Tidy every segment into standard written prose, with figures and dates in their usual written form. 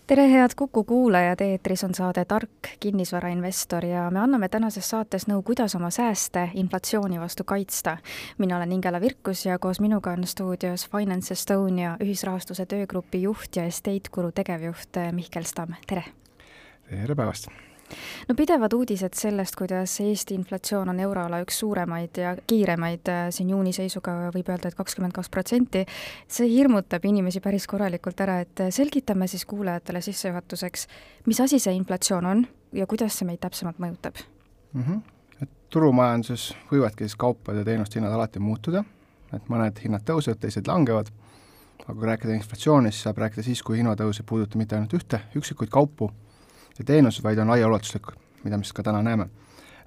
Tere, head Kuku kuulajad, eetris on saade Tark kinnisvarainvestor ja me anname tänases saates nõu, kuidas oma sääste inflatsiooni vastu kaitsta. Mina olen Ingela Virkus ja koos minuga on stuudios Finance Estonia ühisrahastuse töögrupi juht ja Estate Guru tegevjuht Mihkel Stamm. Tere! Tere päevast! No pidevad uudised sellest, kuidas Eesti inflatsioon on euroala üks suuremaid ja kiiremaid, siin juuni seisuga võib öelda, et 22%. See hirmutab inimesi päris korralikult ära, et selgitame siis kuulajatele sissejuhatuseks, mis asi see inflatsioon on ja kuidas see meid täpsemalt mõjutab? Et turumajanduses võivadki siis kaupade ja teenuste hinnad alati muutuda, et mõned hinnad tõusevad, teised langevad, aga kui rääkida inflatsioonist, saab rääkida siis, kui hinnatõus ei puuduta mitte ainult üksikuid kaupu ja teenused, vaid on laiaulatuslik, mida me ka täna näeme.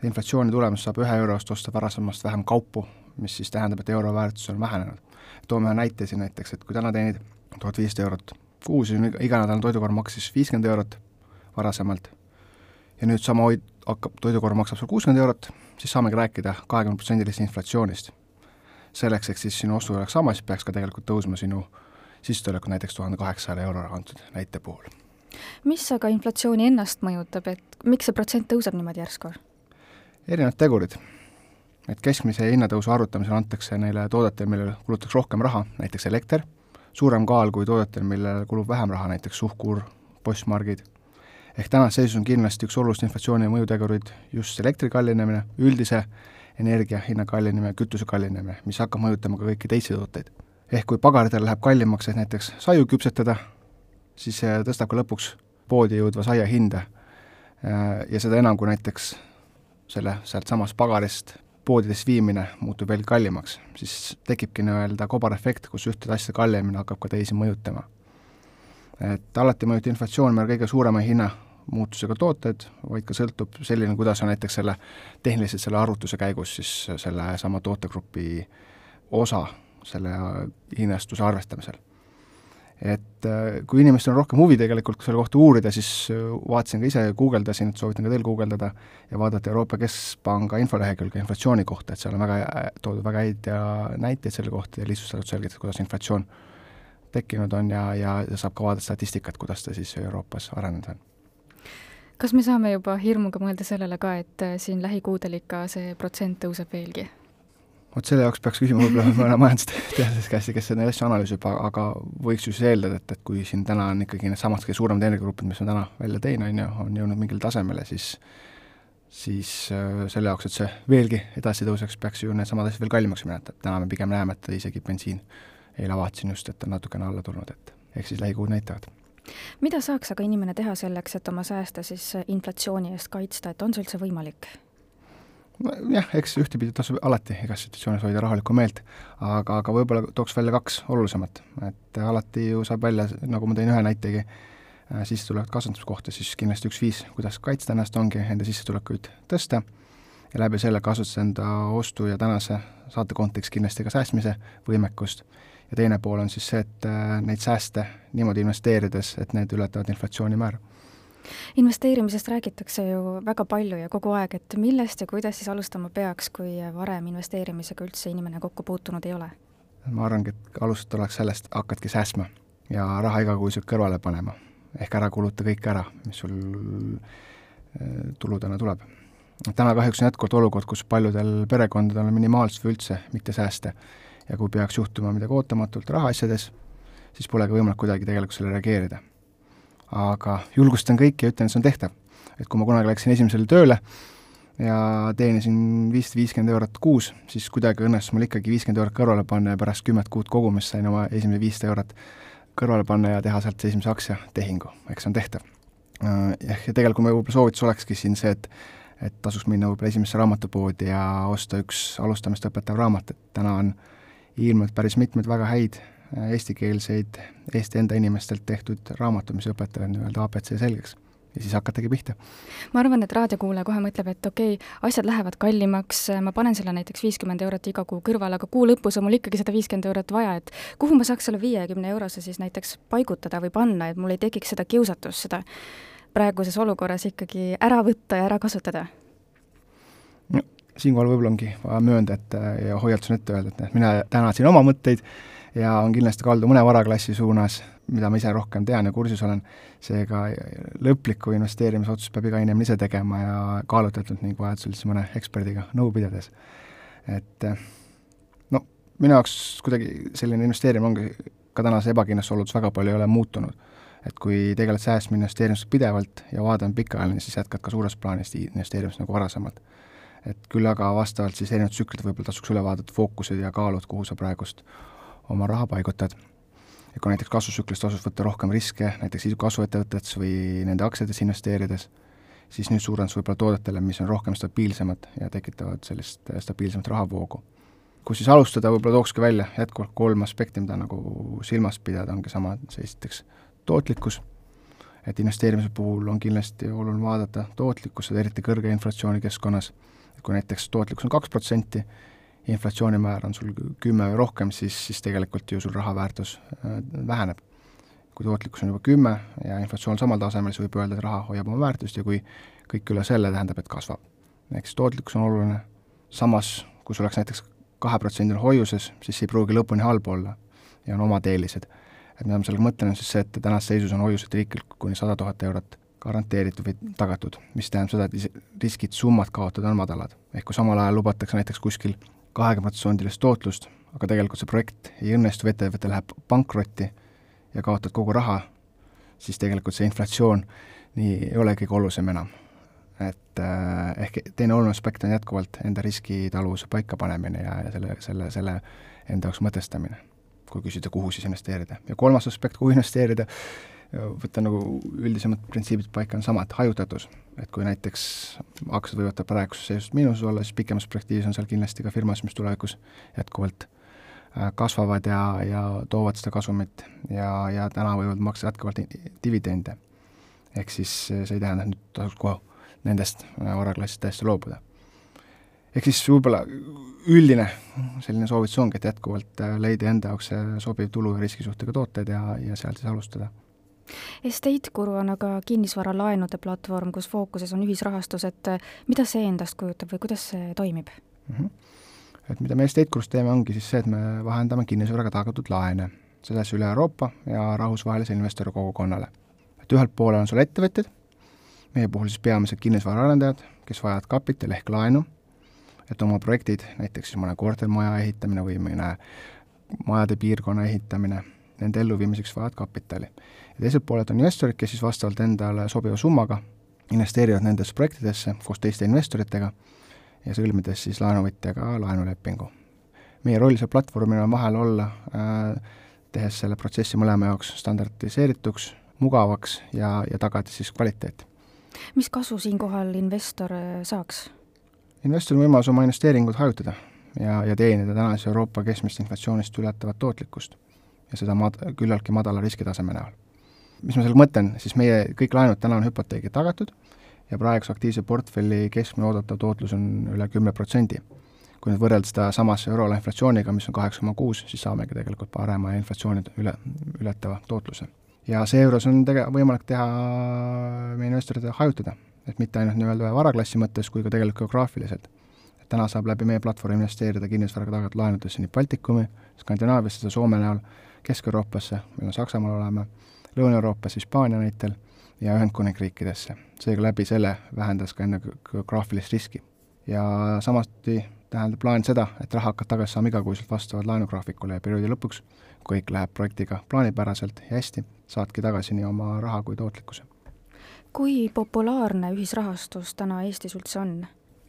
Inflatsiooni tulemus saab 1 eurost osta varasemast vähem kaupu, mis siis tähendab, et euro väärtus on vähenenud. Toome ühe näite siin näiteks, et kui täna teenid 1500 eurot kuus, iganädalane toidukorv maksis 50 eurot varasemalt ja nüüd sama toidukorv maksab sul 60 eurot, siis saamegi rääkida 20% inflatsioonist. Selleks, et siis sinu ostu oleks sama, siis peaks ka tegelikult tõusma sinu sissetulekut näiteks 1800 euro antud näite puhul. Mis aga inflatsiooni ennast mõjutab, et miks see protsent tõuseb niimoodi järsku? Erinevad tegurid. Et keskmise hinnatõusu arvutamisel antakse neile toodetel, millele kulutaks rohkem raha, näiteks elekter, suurem kaal kui toodetel, millele kulub vähem raha, näiteks suhkur, postmargid. Ehk tänas seisus on kindlasti üks olulist inflatsiooni mõjutegurid just elektri kallinemine, üldise energia hinna kallinemine, kütuse kallinemine, mis hakkab mõjutama ka kõiki teisi tooteid. Ehk kui pagaridel läheb kallimaks, et näiteks saju küpsetada, siis see tõstab ka lõpuks poodi jõudva saia hinda ja seda enam, kui näiteks sealt samast pagarist poodidest viimine muutub veel kallimaks, siis tekibki nii-öelda kobarefekt, kus ühte asja kallimine hakkab ka teisi mõjutama. Et alati mõjutab inflatsioon meil kõige suurema hinna muutusega tooted, vaid ka sõltub selline, kuidas on näiteks tehniliselt selle arvutuse käigus siis selle sama tootegrupi osa selle hinnastuse arvestamisel. Et kui inimestel on rohkem huvi tegelikult selle kohta uurida, siis vaatasin ka ise, guugeldasin, et soovitan ka teil guugeldada ja vaadata Euroopa Keskpanga infolehekülge inflatsiooni kohta, et seal on toodud väga häid näiteid selle kohta ja lihtsustatud selgitada, kuidas inflatsioon tekkinud on ja saab ka vaadata statistikat, kuidas ta siis Euroopas arenenud on. Kas me saame juba hirmuga mõelda sellele ka, et siin lähikuudel ikka see protsent tõuseb veelgi? Selle jaoks peaks küsima võib-olla mõne majandusteadlasest käest, kes neid asju analüüsib, aga võiks ju siis eeldada, et kui siin täna on ikkagi need samad suuremad energiagrupid, mis on täna välja teine, on jõudnud mingil tasemele, siis selle jaoks, et see veelgi edasi tõuseks, peaks ju need samad asjad veel kallimaks minna. Täna me pigem näeme, et isegi bensiin eile vaatasin just, et on natukene alla tulnud, et ehk siis lähikuud näitavad. Mida saaks aga inimene teha selleks, et oma sääste siis inflatsiooni eest kaitsta, et on see üldse võimalik? Jah, eks ühtepidi tasub alati igas situatsioonis hoida rahulikku meelt, aga võib-olla tooks välja 2 olulisemat. Et alati ju saab välja, nagu ma tõin ühe näitegi, sissetulekut kasvatamiskohta, siis kindlasti üks viis, kuidas kaitsta ennast, ongi enda sissetulekuid tõsta ja läbi selle kasutada enda ostu ja tänase saate kontekst kindlasti ka säästmise võimekust. Ja teine pool on siis see, et neid sääste niimoodi investeerides, et need ületavad inflatsiooni määra. Investeerimisest räägitakse ju väga palju ja kogu aeg, et millest ja kuidas siis alustama peaks, kui varem investeerimisega üldse inimene kokku puutunud ei ole? Ma arvangi, et alustada oleks sellest, hakkadki säästma ja raha igakuiselt kõrvale panema. Ehk ära kuluta kõik ära, mis sul tuludena tuleb. Täna kahjuks on jätkuvalt olukord, kus paljudel perekondadel on minimaalselt või üldse mitte sääste ja kui peaks juhtuma midagi ootamatult rahaasjades, siis pole ka võimalik kuidagi tegelikult selle reageerida. Aga julgustan kõiki ja ütlen, et see on tehtav. Et kui ma kunagi läksin esimesele tööle ja teenisin 550 eurot kuus, siis kuidagi õnnestus mul ikkagi 50 eurot kõrvale panna ja pärast 10 kuud kogumist sain oma esimene 500 eurot kõrvale panna ja teha sealt esimese aktsia tehingu. Eks see on tehtav. Ja tegelikult me võib-olla soovitus olekski siin see, et tasuks minna võib-olla esimesse raamatupoodi ja osta üks alustamist õpetav raamat. Et täna on ilmselt päris mitmed väga häid eestikeelseid Eesti enda inimestelt tehtud raamatud, mis õpetavad nii-öelda ABC selgeks ja siis hakatagi pihta. Ma arvan, et raadiokuulaja kohe mõtleb, et okei, asjad lähevad kallimaks, ma panen selle näiteks 50 eurot iga kuu kõrval, aga kuu lõpus on mul ikkagi 150 eurot vaja, et kuhu ma saaks selle 50 eurose siis näiteks paigutada või panna, et mul ei tekiks seda kiusatust, seda praeguses olukorras ikkagi ära võtta ja ära kasutada? No, siinkohal võib-olla ongi vaja möönda, et ja hoiatus on ette öelda, et mina tänasin oma mõtteid ja on kindlasti kaldu mõne varaklassi suunas, mida ma ise rohkem tean ja kursis olen, seega lõpliku investeerimisotsust peab iga inimene ise tegema ja kaalutletult ning vajadusel siis mõne eksperdiga nõu pidades. Et no minu jaoks kuidagi selline investeerimine ongi ka tänase ebakindluse oludes väga palju ei ole muutunud. Et kui tegeled säästma investeerimisega pidevalt ja vaadame pikaajaline, siis jätkad ka suures plaanis investeerimist nagu varasemalt. Et küll aga vastavalt siis erinevad tsüklid võib-olla tasuks üle vaadata fookused ja kaalud, kuhu sa praegust oma raha paigutad. Ja kui näiteks kasvutsüklist tasus võtta rohkem riske, näiteks kasvuettevõtetes või nende aktsiates investeerides, siis nüüd suurendus võib-olla toodetele, mis on rohkem stabiilsemad ja tekitavad sellist stabiilsemat rahavoogu. Kui siis alustada, võib-olla tookski välja jätkuvalt 3 aspekti, mida nagu silmas pidada, ongi sama see esiteks tootlikkus, et investeerimise puhul on kindlasti oluline vaadata tootlikkus, eriti kõrge inflatsiooni keskkonnas. Kui näiteks tootlikkus on 2%, inflatsioonimäär on sul 10 või rohkem, siis tegelikult ju sul raha väärtus väheneb. Kui tootlikkus on juba 10 ja inflatsioon samal tasemel, siis võib öelda, et raha hoiab oma väärtust ja kui kõik üle selle tähendab, et kasvab. Eks tootlikkus on oluline. Samas, kui sul oleks näiteks 2% hoiuses, siis ei pruugi lõpuni halb olla ja on omad eelised. Et mida ma sellega mõtlen, on siis see, et tänast seisus on hoiused riiklikult kuni 100 000 eurot garanteeritud või tagatud, mis tähendab seda, et riskid summad kaotada on madalad. Ehk kui samal ajal lubatakse näiteks kuskil 20% tootlust, aga tegelikult see projekt ei õnnestu, ettevõte läheb pankrotti ja kaotad kogu raha, siis tegelikult see inflatsioon nii ei ole kõige olulisem enam. Et ehk teine oluline aspekt on jätkuvalt enda riskitaluvuse paikapanemine ja selle enda jaoks mõtestamine, kui küsida, kuhu siis investeerida. Ja 3. aspekt, kuhu investeerida, võtta nagu üldisemad printsiibid paika on sama, et hajutatus. Et kui näiteks aktsiad võivad praeguses seisust miinuses olla, siis pikemas perspektiivis on seal kindlasti ka firmas, mis tulevikus jätkuvalt kasvavad ja toovad seda kasumit ja täna võivad maksta jätkuvalt dividende. Ehk siis see ei tähenda, et nüüd tasuks kohe nendest varaklassist täiesti loobuda. Ehk siis võib-olla üldine selline soovitus ongi, et jätkuvalt leida enda jaoks sobiv tulu ja riskisuhtega tooted ja sealt siis alustada. Estate-Guru on aga kinnisvaralaenude platvorm, kus fookuses on ühisrahastus, et mida see endast kujutab või kuidas see toimib? Et mida me Estate-Gurus teeme, ongi siis see, et me vahendame kinnisvaraga tagatud laene, selles üle Euroopa ja rahvusvahelise investori kogukonnale. Et ühelt poole on sul ettevõtjad, meie puhul siis peamised kinnisvaraarendajad, kes vajavad kapitali ehk laenu, et oma projektid, näiteks siis mõne kortermaja ehitamine või mõne majade piirkonna ehitamine, nende elluviimiseks vajavad kapitali. Ja teiselt pooled on investorid, kes siis vastavalt endale sobiva summaga investeerivad nendesse projektidesse koos teiste investoritega ja sõlmides siis laenuvõtjaga laenulepingu. Meie roll see platvormil on vahel olla, tehes selle protsessi mõlema jaoks standardiseerituks, mugavaks ja tagada siis kvaliteet. Mis kasu siinkohal investor saaks? Investori võimalus oma investeeringud hajutada ja teenida tänases Euroopa keskmist inflatsioonist ületavat tootlikkust ja seda küllaltki madala riskitaseme näol. Mis ma sellega mõtlen, siis meie kõik laenud täna on hüpoteegi tagatud ja praeguse aktiivse portfelli keskmine oodatav tootlus on üle 10%. Kui nüüd võrrelda seda samasse euroala inflatsiooniga, mis on 8,6, siis saamegi tegelikult parema inflatsiooni ületava tootluse. Ja seejuures on võimalik teha meie investorite hajutada, et mitte ainult nii-öelda varaklassi mõttes kui ka tegelikult geograafiliselt. Et täna saab läbi meie platvormi investeerida kinnisvaraga tagatud laenudesse nii Baltikumi, Skandinaaviasse, Soome näol, Kesk-Euroopasse, meil on Saksamaal olema, Lõuna-Euroopas, Hispaania näitel ja Ühendkuningriikidesse. Seega läbi selle vähendas ka enne geograafilist riski. Ja samasti tähendab plaan seda, et raha hakkad tagasi saama igakuiselt vastavalt laenugraafikule ja perioodi lõpuks, kui kõik läheb projektiga plaanipäraselt ja hästi, saadki tagasi nii oma raha kui tootlikkuse. Kui populaarne ühisrahastus täna Eestis üldse on?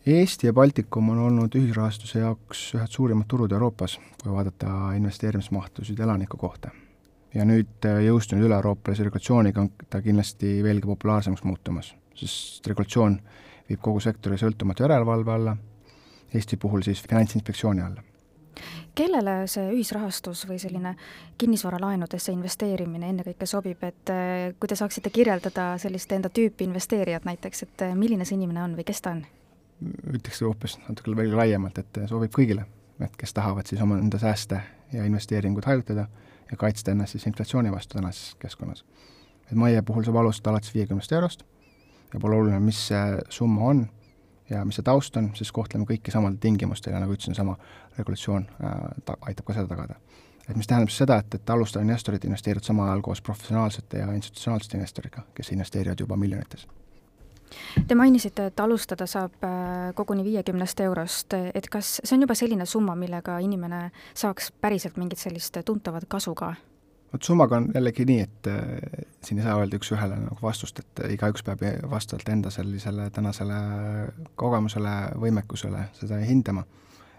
Eesti ja Baltikum on olnud ühisrahastuse jaoks ühed suurimad turud Euroopas, kui vaadata investeerimismahtusid elaniku kohta. Ja nüüd jõustunud üle-euroopalise regulatsiooniga on ta kindlasti veelgi populaarsemaks muutumas, sest regulatsioon viib kogu sektori sõltumatu järelevalve alla, Eesti puhul siis Finantsinspektsiooni alla. Kellele see ühisrahastus või selline kinnisvaralaenudesse investeerimine ennekõike sobib, et kui te saaksite kirjeldada sellist enda tüüpi investeerijat näiteks, et milline see inimene on või kes ta on? Ütleks hoopis natuke veel laiemalt, et sobib kõigile, et kes tahavad siis oma enda sääste ja investeeringud hajutada ja kaitsta ennast siis inflatsiooni vastu tänases keskkonnas. Et meie puhul saab alustada alates 50 eurost ja pole oluline, mis see summa on ja mis see taust on, siis kohtleme kõiki samal tingimustel ja nagu ütlesin, sama regulatsioon aitab ka seda tagada. et mis tähendab seda, et alustav investorid investeerivad samal ajal koos professionaalsete ja institutsionaalsete investoriga, kes investeerivad juba miljonites. Te mainisite, et alustada saab koguni 50 eurost, et kas see on juba selline summa, millega inimene saaks päriselt mingit sellist tuntavat kasu ka? Vot summaga on jällegi nii, et siin ei saa öelda üks ühele nagu vastust, et igaüks peab vastavalt enda sellisele tänasele kogemusele, võimekusele seda hindama.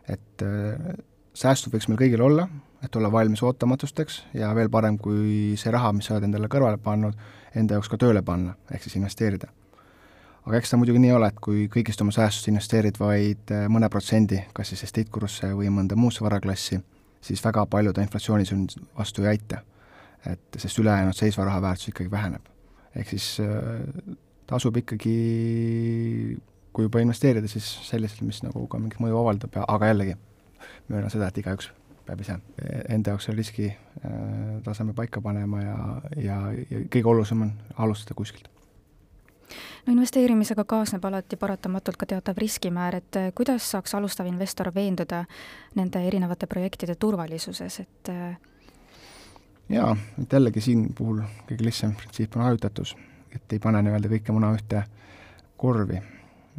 Et säästud võiks meil kõigil olla, et olla valmis ootamatusteks ja veel parem, kui see raha, mis sa oled endale kõrvale pannud, enda jaoks ka tööle panna, ehk siis investeerida. Aga eks ta muidugi nii ole, et kui kõigist oma säästust investeerid vaid mõne protsendi, kas siis estate-kurusse või mõnda muusse varaklassi, siis väga palju ta inflatsioonis vastu ei aita. Et sest ülejäänud seisva raha väärtus ikkagi väheneb. Ehk siis tasub ikkagi, kui juba investeerida, siis selliselt, mis nagu ka mingit mõju avaldab, aga jällegi möönan seda, et igaüks peab ise enda jaoks riski taseme paika panema ja kõige olulisem on alustada kuskilt. No investeerimisega kaasneb alati paratamatult ka teatav riskimäär, et kuidas saaks alustav investor veenduda nende erinevate projektide turvalisuses, et jaa, et jällegi siin puhul kõige lihtsam printsiip on hajutatus, et ei pane nii-öelda kõike muna ühte korvi.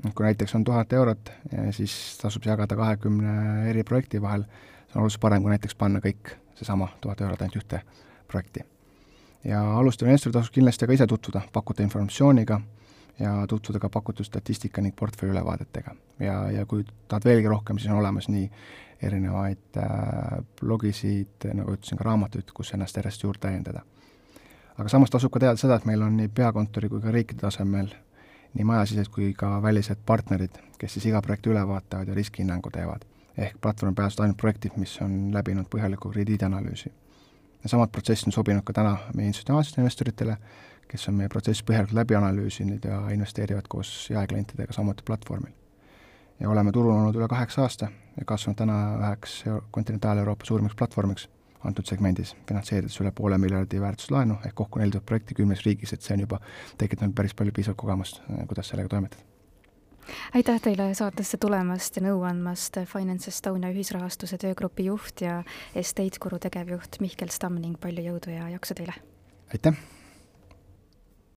Kui näiteks on 1000 eurot, siis tasub jagada 20 eri projekti vahel, see on oluliselt parem, kui näiteks panna kõik seesama 1000 eurot ainult ühte projekti. Ja alustav investor tasub kindlasti ka ise tutvuda pakuta informatsiooniga ja tutvuda ka pakutud statistika ning portfelli ülevaadetega. Ja kui tahad veelgi rohkem, siis on olemas nii erinevaid blogisid, nagu ütlesin, ka raamatuid, kus ennast järjest juurde täiendada. Aga samas tasub ka teada seda, et meil on nii peakontori kui ka riikide tasemel nii majasised kui ka välised partnerid, kes siis iga projekti üle vaatavad ja riskihinnangu teevad. Ehk platvorm pääsed ainult projektid, mis on läbinud põhjaliku krediidianalüüsi. Ja samad protsessid on sobinud ka täna meie institutsionaalsetele investoritele, kes on meie protsessi põhjalikult läbi analüüsinud ja investeerivad koos jaeklientidega samuti platvormil. Ja oleme turul olnud üle 8 aasta ja kasvanud täna üheks kontinentaal-Euroopa suurimaks platvormiks antud segmendis, finantseerides üle 500 miljardi väärtuslaenu ehk kokku 4000 projekti 10 riigis, et see on juba tekitanud päris palju piisavalt kogemust, kuidas sellega toimetada. Aitäh teile saatesse tulemast ja nõu andmast Finance Estonia ühisrahastuse töögrupi juht ja estate-kuru tegevjuht Mihkel Stamm ning palju jõudu ja jaksu teile! Aitäh!